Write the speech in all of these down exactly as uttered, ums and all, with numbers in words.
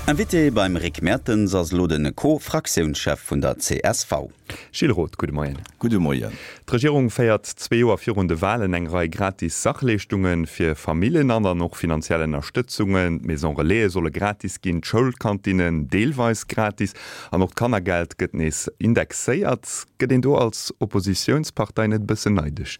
Invité beim Rick Mertens ass elo de Co-Fraktiounschef vun der C S V. Gilles Roth, gudde Moien. Gudde Moien. D'Regierung féiert zwee Joer virun de Walen eng Rei gratis Sachleeschtunge fir Famillen an an och finanziell Ënnerstëtzungen. D'Maison Relaise solle gratis ginn, d'Schoulkantinnen deelweis gratis an och d'Kannergeld gëtt nees indexéiert. Gëtt een do als Oppositiounspartei net e bëssen neidesch?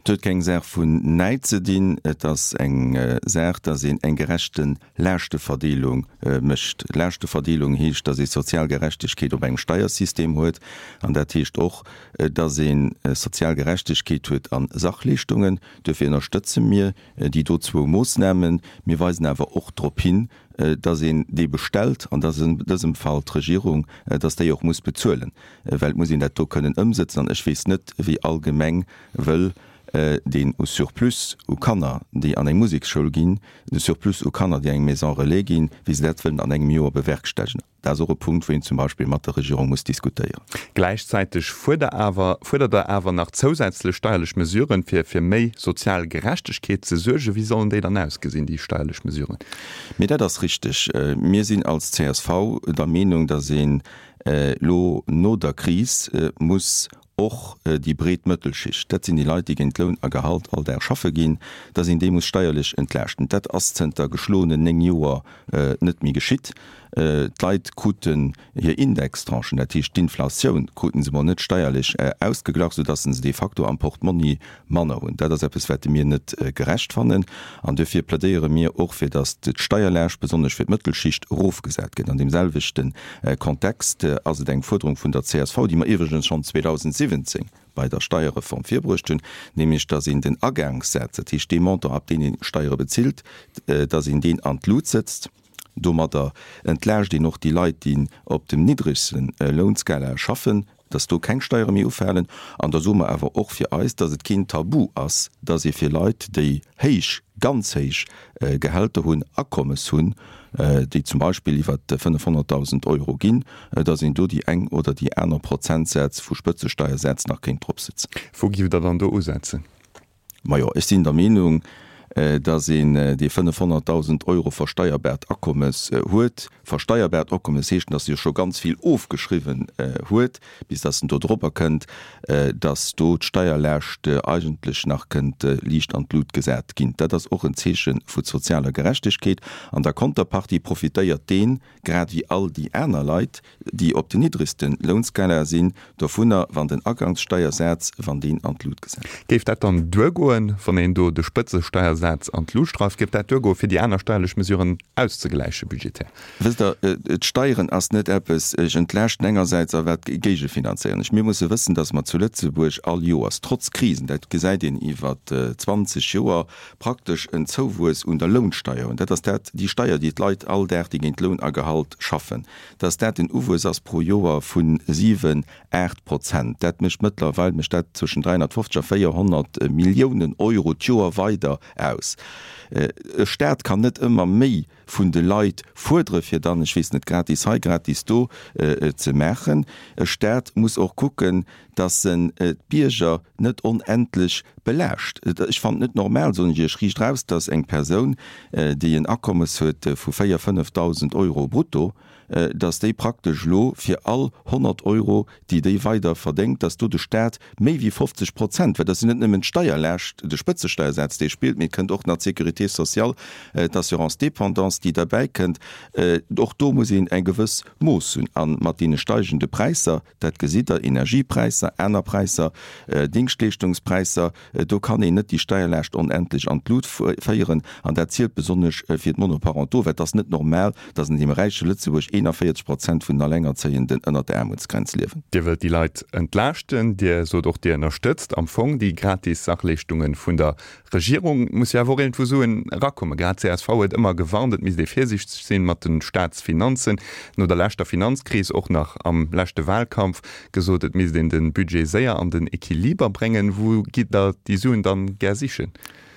Et huet keng Saach vun Näid ze dinn, et ass eng Saach, dass een eng gerechte Laaschtverdeelung mécht. Laaschtverdeelung heescht, dass ee sozial Gerechtegkeet op engem Steiersystem huet, an dat heescht och, dass ee sozial Gerechtegkeet huet a Sachleeschtungen. Duerfir ënnerstëtze mir déi do zwou Moossnamen. Mir weisen awer och drop hin, dass een dee bestellt, an dat ass an dësem Fall d'Regierung, dass déi och muss bezuelen, well et muss een dat do kënnen ëmsëtzen. An ech weess net, wéi all Gemeng wëll deen u Surplus u Kanner, déi an eng Museksschoul ginn, de Surplus u Kanner, déi an eng Maison relais ginn, wéi se dat wëllen an engem Joer bewerkstellegen. Dat ass och e Punkt, wou een zum Beispill mat der Regierung muss diskutéieren. Gläichzäiteg fuerdert awer, fuerdert Der awer nach zousätzlech steierlech Mesuren, fir fir méi sozial Gerechtegkeet ze suergen. Wéi sollen déi dann ausgesinn, déi steierlech Mesuren? Mee dat ass richteg. Mir sinn als C S V der Meenung, dass een elo no der Kris muss och déi breet Mëttelschicht, dat sinn déi Leit, déi géint Loun a Gehalt all Dag schaffe ginn, dass een déi muss steierlech entlaaschten. Dat ass zënter geschloenen néng Joer net méi geschitt. D'Leit kruten hir Indextranchen, dat heescht d'Inflatioun, kruten se mol net steierlech ausgeglach, soudass se de facto am Portmonni manner hunn. Dat ass eppes, wat mir net gerecht fannen. An duerfir plädéiere mir och, fir dass d'Steierlaascht, besonnesch fir d'Mëttelschicht, erofgesat gëtt. An deem selwechte Kontext ass et eng Fuerderung vun der C S V, déi mer iwwregens schonn zweedausendsiwwenzéng bei der Steierreform virbruecht hunn, nämlech dass een den Agangssaz, dat heescht dee Montant, ab deen ee Steiere bezilt, dass een deen an d'Lut sëtzt. Domadder entlaascht een och déi Leit, déi op dem niddregste Lounskala schaffen, dass do keng Steiere méi ufalen. An da soe mer awer och fir eis, dass et keen Tabu ass, dass ee fir Leit, déi héich, ganz héich Gehälter hunn, Akommes hunn, déi zum Beispill iwwer fënnefhonnertdausend Euro ginn, dass een do déi eng oder déi aner Prozentsätz vu Spëtzesteiersätz nach kéint dropsetzen. Wou giff Der dann do usetzen? Majo, ech sinn der Meenung, dass een, dee fënnefhonnertdausend Euro versteierbaart Akommes huet, versteierbaart Akommes heescht, dass e jo scho ganz vill ofgeschriwwen huet, bis dass en do dorobber kënnt, dass do d'Steierlaascht eigentlech nach kënnt liicht an d'Lut gesat ginn. Dat ass och en Zeeche vu sozialer Gerechtegkeet. An der Konterpartie profitéiert deen, grad wéi all déi aner Leit, déi op den niddregste Lounskala sinn, dovunner, wann den Agangssteiersaz, wann deen an d'Lut gesat gëtt. Géif dat dann duergoen, wann een do de Spëtzesteiersaz an d'Lut dreift, géif dat duergoen, fir déi aner steierlech Mesuren auszegläiche budgetär? Wësst Der, d'Steieren ass net eppes, ech entlaaschten engersäits a wat géigefinanzéieren ech. Mir musse wëssen, datt mer zu Lëtzebuerg all Joers, trotz Krisen, dat gesäit een iwwer zwanzeg Joer, praktesch en Zouwuess un der Lounsteier hunn, dat ass dat, déi Steier, déi d'Leit all Dag, déi géint Loun a Gehalt schaffen, dass dat en Uwuess ass pro Joer vu siwen, aacht Prozent. Dat mécht mëttlerweil, mécht dat zwëschen dräihonnertfofzeg a véierhonnert Milliounen Euro d'Joer weider aus. E Staat kann net ëmmer méi vun de Leit fuerdere fir dann, ech weess net, gratis hei, gratis do ze maachen. E Staat muss och kucken, dass en d'Bierger net onendlech belaascht. Ech fannen et net normal, soen ech Iech riicht raus, dass eng Persoun, déi en Akommes huet vu véier, fënnefdausend Euro brutto, dass déi praktesch elo fir all honnert Euro, déi déi weider verdéngt, dass do de Staat méi wéi fofzeg Prozent, well dat ass jo net nëmmen d'Steierlaascht, de Spëtzesteiersaz, dee spillt, mee et kënnt och nach d'Sécurité sociale, d'Assurance dépendance, déi derbäi kënnt, och do muss een eng gewëss Mooss hunn. A mat deene steigende Präisser, dat gesitt Der, Energiepräisser, aner Präisser, Dingschtleeschtungspräisser, do kann een net déi Steierlaascht onendlech an d'Lut féieren. An dat zielt besonnesch fir d'Monoparentaux, well et ass net normal, dass an deem räiche Lëtzebuerg eenanvéierzeg Prozent vun den Allengerzéienden ënnert der Aarmutsgrenz liewen. Dir wëllt déi Leit entlaaschten. Dir sot och, Dir ënnerstëtzt am Fong déi gratis Sachleeschtunge vun der Regierung. Et muss jo awer och iergendwou Suen erakommen. Grad d'C S V huet ëmmer gewarnt, et misst ee virsiichteg sinn mat de Staatsfinanzen. No der leschter Finanzkris, och nach am leschte Wahlkampf gesot, et misst een de Budget séier an den Equiliber bréngen. Wou gitt Der déi Suen dann gär sichen?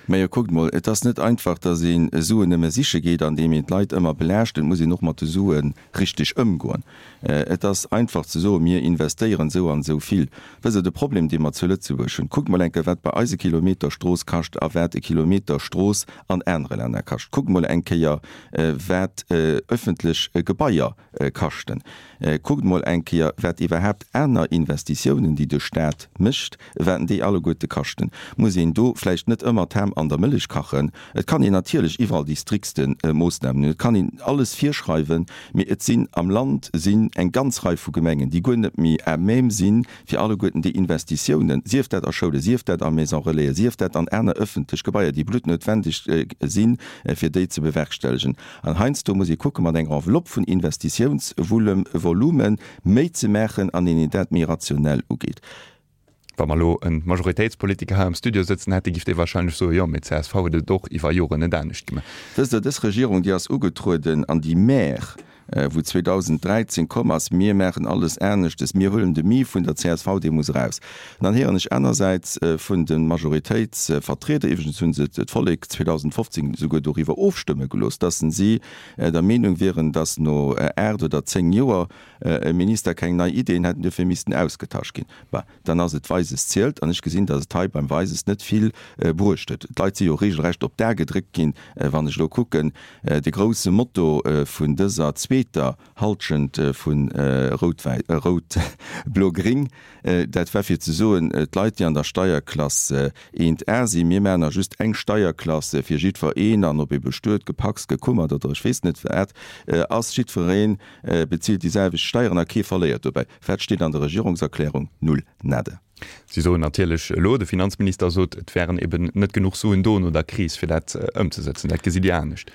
Majo, kuckt mol, et ass net einfach, datt ee Suen nëmme siche geet, andeem een d'Leit ëmmer belaascht. Et muss een och mat de Sue richteg ëmgoen. Et ass einfach ze soen, mir investéieren esou an esou vill. Wësst Der, de Problem, dee mer zu Lëtzebuerg hunn, kuckt mol eng Kéier, wat bei eis e Kilometer Strooss kascht a wat e Kilometer Strooss an anere Länner kascht. Kuckt mol eng Kéier, wat öffentlech Gebaier kaschten. Kuckt mol eng Kéier, wat iwwerhaapt aner Investitiounen, déi de Stat mécht, wat déi alleguerte kaschten. Muss een do vläicht net ëmmer d'Ham an der Mëllech kachen? Et kann een natierlech iwwerall déi striktste Moossnamen hunn, et kann een alles virschreiwen, mee et sinn am Land sinn eng ganz Rei vu Gemengen, déi guer net méi à même sinn, fir alleguerten déi Investitiounen, sief dat a Schoulen, sief dat a Maison-relaisen, sief dat an aner öffentlech Gebaier, déi bluttnoutwendeg sinn, fir déi ze bewerkstellegen. An heiansdo muss ee kucke mat enger Enveloppe vun Investitiounsvolume méi ze maachen an een dat méi rationell ugeet. Wa mer elo e Majoritéitspolitiker hei am Studio sëtzen hätte, giff dee wahrscheinlech soen, jo, mee d'CSV huet et och iwwer Joren net anescht gemaach. Wësst Der, dës Regierung, déi ass ugetrueden an déi Mär, wou zweedausend dräizéng komm ass, mir maachen alles aneschtes, mir huelen de Mi vun der C S V, dee muss eraus. An dann héieren ech anersäits vun de Majoritéitsvertrieder, iwwregens hu se d'Vollek zweedausend fofzéng souguer doriwwer ofstëmme gelooss, dass si der Meenung wieren, dass no aacht oder zéng Joer e Minister keng nei Ideen hätt an duerfir missten ausgetasch ginn. Bah, dann ass et Weises zielt. An ech gesinn, dass et hei beim Weises net vill bruecht huet. D'Leit si jo regelrecht op d'A gedréckt ginn, wann ech elo kucken, de grousse Motto vun dëser zweeter Halschent vu Rout-Wäi-, Rout-Blo-Gring, dat war fir ze soen, d'Leit, déi an der Steierklass eent A sinn, mir maachen just eng Steierklass fir jiddwereen, an ob ee bestuet, gepacst, gekummert oder ech weess net wat ass, jiddweree bezilt déi selwecht Steieren a kee verléiert dobäi. Wat steet an der Regierungserklärung? Null, nada. Si soen natierlech elo, de Finanzminister sot, et wären eben net genuch Suen do no der Kris, fir dat ëmzesetzen. Dat gesitt Dir anescht?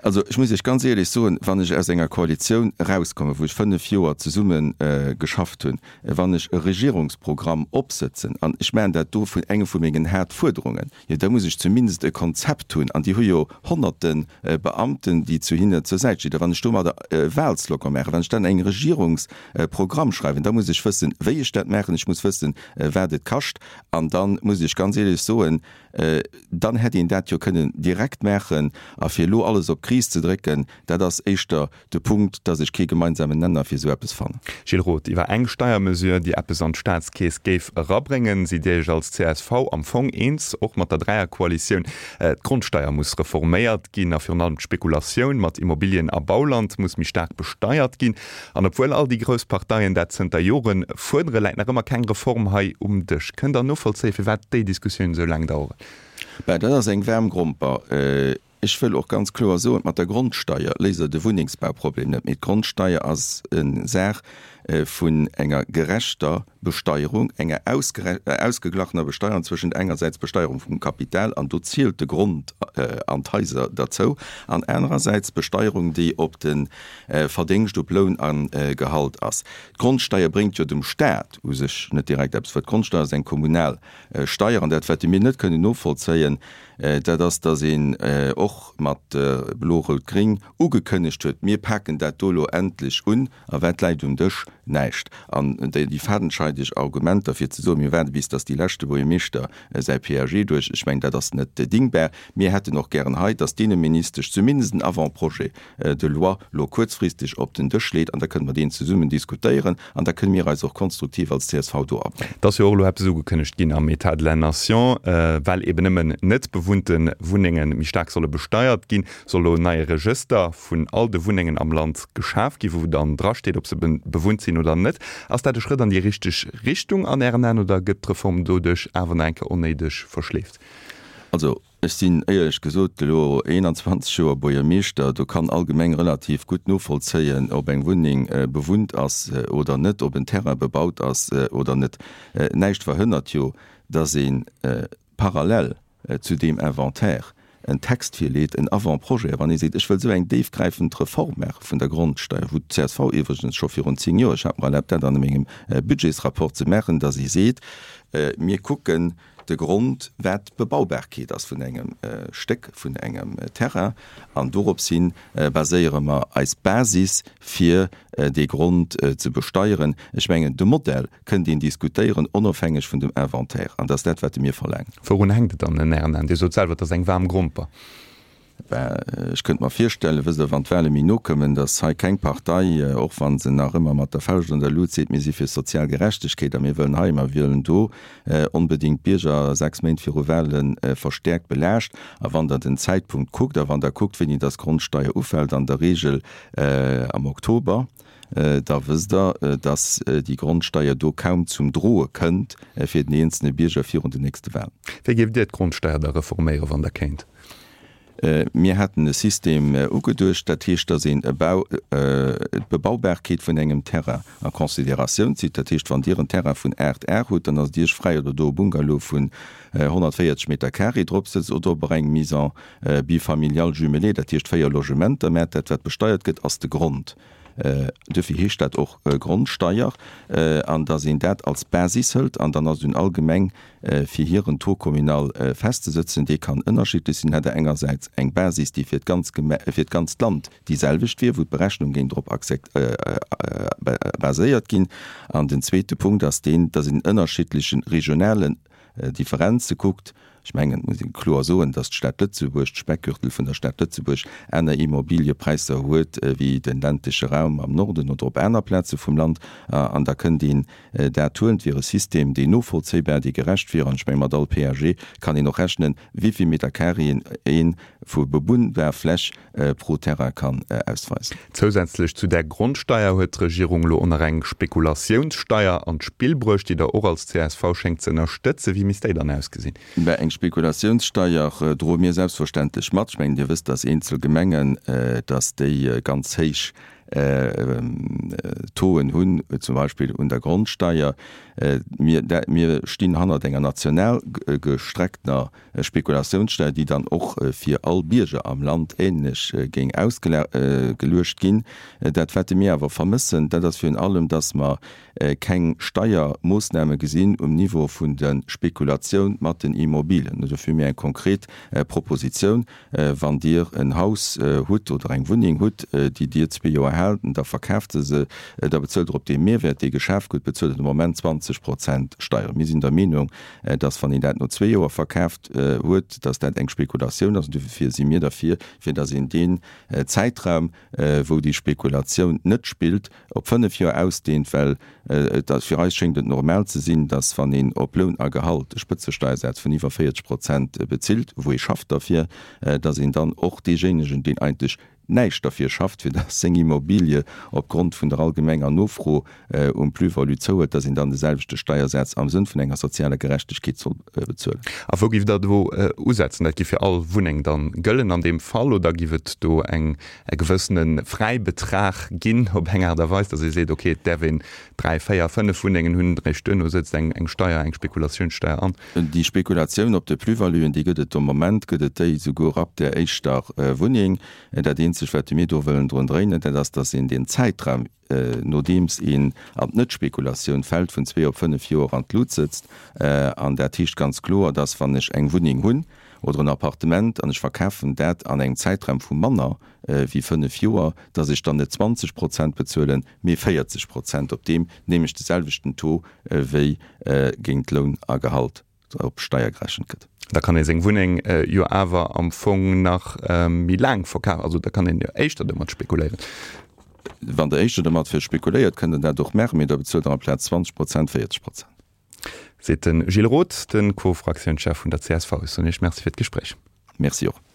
Also ech muss Iech ganz éierlech soen, wann ech aus enger Koalitioun erauskommen, wou ech fënnef Joer zesumme geschafft hunn, wann ech e Regierungsprogramm opsëtzen an ech maachen dat do vun enge vu mengen Haaptfuerderungen, jo da muss ech zumindest e Konzept hunn an déi hu jo honnerte Beamten, déi zu hinne zur Säit stinn. A wann ech domadder e Wahlslogan maachen, wann ech dann eng Regierungsprogramm schreiwen, da muss ech wëssen, wéi ech dat maachen, ech muss wëssen, wat et kascht an da muss ech ganz éierlech soen, dann hätt een dat jo kënnen direkt maachen. A fir elo alles op d'Kris ze drécken, dat ass éischter de Punkt, dass ech kee gemeinsamen Nenner fir esou eppes fannen. Gilles Roth, Iwwer eng Steiermesure, déi eppes an d'Staatskeess géif erabréngen, sidd Dir Iech als C S V am Fong eens, och mat der Dräierkoalitioun. D'Grondsteier muss reforméiert ginn a virun allem d'Spekulatioun mat Immobilien a Bauland muss méi staark besteiert ginn. An obwuel all déi grouss Parteien dat zënter Jore fuerdere, läit nach ëmmer keng Reform hei um Dësch. Kënnt Der novollzéien, firwat déi Diskussiounen esou laang daueren? Ben, dat ass eng waarm Gromper. Ech wëll och ganz kloer soen, mat der Grondsteier léist Der de Wunnengsbauproblem net, mee d'Grondsteier ass eng Saach vun enger gerechter Besteierung, enger ausgeglachener Besteierung zwëschent engersäits Besteierung vum Kapital, an do zielt de Grond an d'Haiser derzou, an anerersäits Besteierung, déi op de Verdéngscht, op Loun a Gehalt ass. D'Grondsteier bréngt jo dem Stat u sech net direkt eppes, well d'Grondsteier ass eng kommunal Steier. An dat, wat mir net kënnen novollzéien, dat ass, dass een och mat Blo-Rout-Gring ugekënnegt huet, Mir paken dat do elo endlech un. A wat läit um Dësch? Näischt. An déi fadenscheideg Argumenter, fir ze soen, mir waarde bis dass dee leschte Buergermeeschter säi P A G duerch, ech mengen, dat ass net dingbar. Mir hätten och gären hei, dass d'Inneministesch zumindest en Avant-projet de loi elo kuerzfristeg op den Dësch leet, an da kënne mer deen zesummen diskutéieren an da kënne mir eis och konstruktiv als C S V do abréngen. Et ass jo och elo eppes ugekënnegt ginn am État de la Nation, well eben nëmmen net bewunnte Wunnenge méi staark solle besteiert ginn, soll elo en neie Regëster vun all de Wunnengen am Land geschaf ginn, wou dann drasteet, ob se bewunnt sinn oder net. Ass dat e Schrëtt an déi richteg Richtung an Ären Aen oder gëtt d'Reform doduerch awer nach eng Kéier onnéideg verschleeft? Also ech sinn éierlech gesot elo eenanzwanzeg Joer Buergermeeschter, do kann all Gemeng relativ gutt novollzéien, ob eng Wunneng bewunnt ass oder net, ob en Terrain bebaut ass oder net. Näischt verhënnert jo, datt ee parallel zu deem Inventaire en Text virleet, en Avant-projet, wann ee seet, ech wëll esou eng déifgräifend Reform maache vun der Grondsteier, wou d'C S V iwwregens scho virun zéng Joer, ech hat mer erlaabt dat an mengem Budgetsrapport ze maachen, datt ee seet, mir kucken de Grond, wat d'Bebaubarkeet ass vun engem Stéck, vun engem Terrain. An dorops hi baséiere mer eis Basis, fir dee Grond ze besteieren. Ech mengen, de Modell kënnt een diskutéieren, onofhängeg vun dem Inventaire. An dat ass dat, wat mir verlaangen. Wourun hänkt et dann en Ären Aen? Dir sot selwer, et ass eng waarm Gromper. Ben, ech kënnt mer virstellen, wësst Der, wann d'Wahle méi no kommen, datt hei keng Partei, och wa se nach ëmmer mat der Fauscht an der Lut seet, mir si fir sozial Gerechtegkeet a mir wëllen hei, mer wëllen do, onbedéngt d'Bierger sechs Méint viru Wahle verstäerkt belaascht. A wann Der den Zäitpunkt kuckt a wann Der kuckt, wéini datt d'Grondsteier ufält, an der Regel am Oktober, da wësst Der, datt déi Grondsteier do kaum zum Droe kënnt fir den eenzelne Bierger virun den nächste Wahlen. Wéi géift Dir d'Grondsteier da reforméieren, wann Der kéint? Mir haten e System ugeduecht, dat heescht, datt een d'Bebaubarkeet vun engem Terrain a Consideratioun zitt. Dat heescht, wann Dir en Terrain vun aacht Ar hutt, dann ass et Iech fräi, ob Der do e Bungalow vun honnertvéierzeg Meter carré drop sëtzt oder ob Der eng Maison bifamiliale jumelée, dat heescht véier Logementer. Mä dat, wat besteiert gëtt, ass de Grond. Duerfir heescht dat och Grondsteier. An datt een dat als Basis hëlt an dann ass et un all Gemeng, fir hiren Taux communal festzesëtzen. Dee kann ënnerschiddlech sinn. Hätt Der engersäits eng Basis, déi fir d'ganz Geme-, fir d'ganzt Land déi selwecht wier, wou d'Berechnung géing drop baséiert ginn. An den zweete Punkt ass deen, datt een ënnerschiddleche regionalen Differenze kuckt. Ech mengen, et muss ee kloer soen, datt d'Stad Lëtzebuerg, d'Speckgürtel vun der Stad Lëtzebuerg, aner Immobiliëpräisser huet wéi de ländleche Raum am Norden oder op aner Plaze vum Land. An da kënnt een dat huelen. Et wier e System, deen novollzéibar, dee gerecht wier. An ech menge mat all P A G kann een och rechnen, wéivill Metercarréen ee vu bewunnbar Fläch pro Terrain kann ausweisen. Zousätzlech zu där Grondsteier huet d'Regierung elo och nach eng Spekulatiounssteier an d'Spill bruecht, déi Der och als C S V schéngt ze ënnerstëtzen. Wéi misst déi dann ausgesinn? Mä eng Spekulatiounssteier droe mir selbstverständlech mat. Ech mengen, Dir wësst, dass eenzel Gemengen, dass déi ganz héich Tauxen hunn, zum Beispill un der Grondsteier. Mir, mir stinn hannert enger national gestreckter Spekulatiounssteier, déi dann och fir all Bierger am Land ähnlech géing ausgeluecht ginn. Dat, wat mir awer vermëssen, dat ass virun allem, dass mer keng Steiermoossname gesinn um Niveau vun der Spekulatioun mat den Immobilien. Dofir hu mir eng konkret Propositioun: Wann Dir en Haus hutt oder eng Wunneng hutt, déi Dir zwee Joer haalt, da verkaaft Der se, da bezuelt Der op dee Mehrwert, dee geschaf gëtt, bezuelt Der de Moment zwanzeg Prozent Steieren. Mir sinn der Meenung, dass, wann een dat no zwee Joer verkaaft huet, dass dat eng Spekulatioun ass. An dofir si mir derfir, fir dass een deen Zäitraum, wou déi Spekulatioun net spillt, op fënnef Joer ausdehnt, well et ass, fir eis schéngt et normal ze sinn, dass, wann een op Loun a Gehalt e Spëtzesteiersaz vun iwwer véierzeg Prozent bezilt, wou ee schafft derfir, dass een dann och deejéinegen, deen eigentlech näischt derfir schafft, fir dass seng Immobilie opgrond vun der allgemenger Nofro um Plus-value zouhuet, dass een dann de selwechte Steiersaz am Sënn vun enger sozialer Gerechtegkeet soll bezuelen. A wou giff Der do usetzen? Dat giff fir all Wunneng dann gëllen an deem Fall oder giff et do eng e gewëssene Fräibetrag ginn op eng Aart a Weis, dass ee seet, okay, et däerf een dräi, véier, fënnef Wunnengen hunn, eréischt duerno sëtzt eng eng Steier, eng Spekulatiounssteier an? Déi Spekulatioun op de Plus-valuen, déi gëtt et de Moment, gëtt et déi souguer ab där éischter Wunneng. Dat eenzegt, wat mir do wëllen drun dréinen, dat ass, dass een deen Zäitraum, nodeems een an d'Net-Spekulatioun fält, vun zwee op fënnef Joer an d'Lut sëtzt. An dat heescht ganz kloer, dass, wann ech eng Wunneng hunn oder en Appartement an ech verkafen dat an engem Zäitraum vu manner wéi fënnef Joer, dass ech dann net zwanzeg Prozent bezuelen, mee véierzeg Prozent op deem nämlech de selwechten Taux wéi géint Loun a Gehalt op Steier gerechent gëtt. Da kann ee seng Wunneng jo awer am Fong nach méi laang verkafen, also da kann een jo éischter domat spekuléieren. Wann Der éischter domat spekuléiert, kënnt Der dat och maachen, mee da bezuelt Der amplaz zwanzeg Prozent véierzeg Prozent. Seet de Gilles Roth, de Co-Fraktiounschef vun der C S V. Ech soen Iech Merci fir d'Gespréich. Merci och.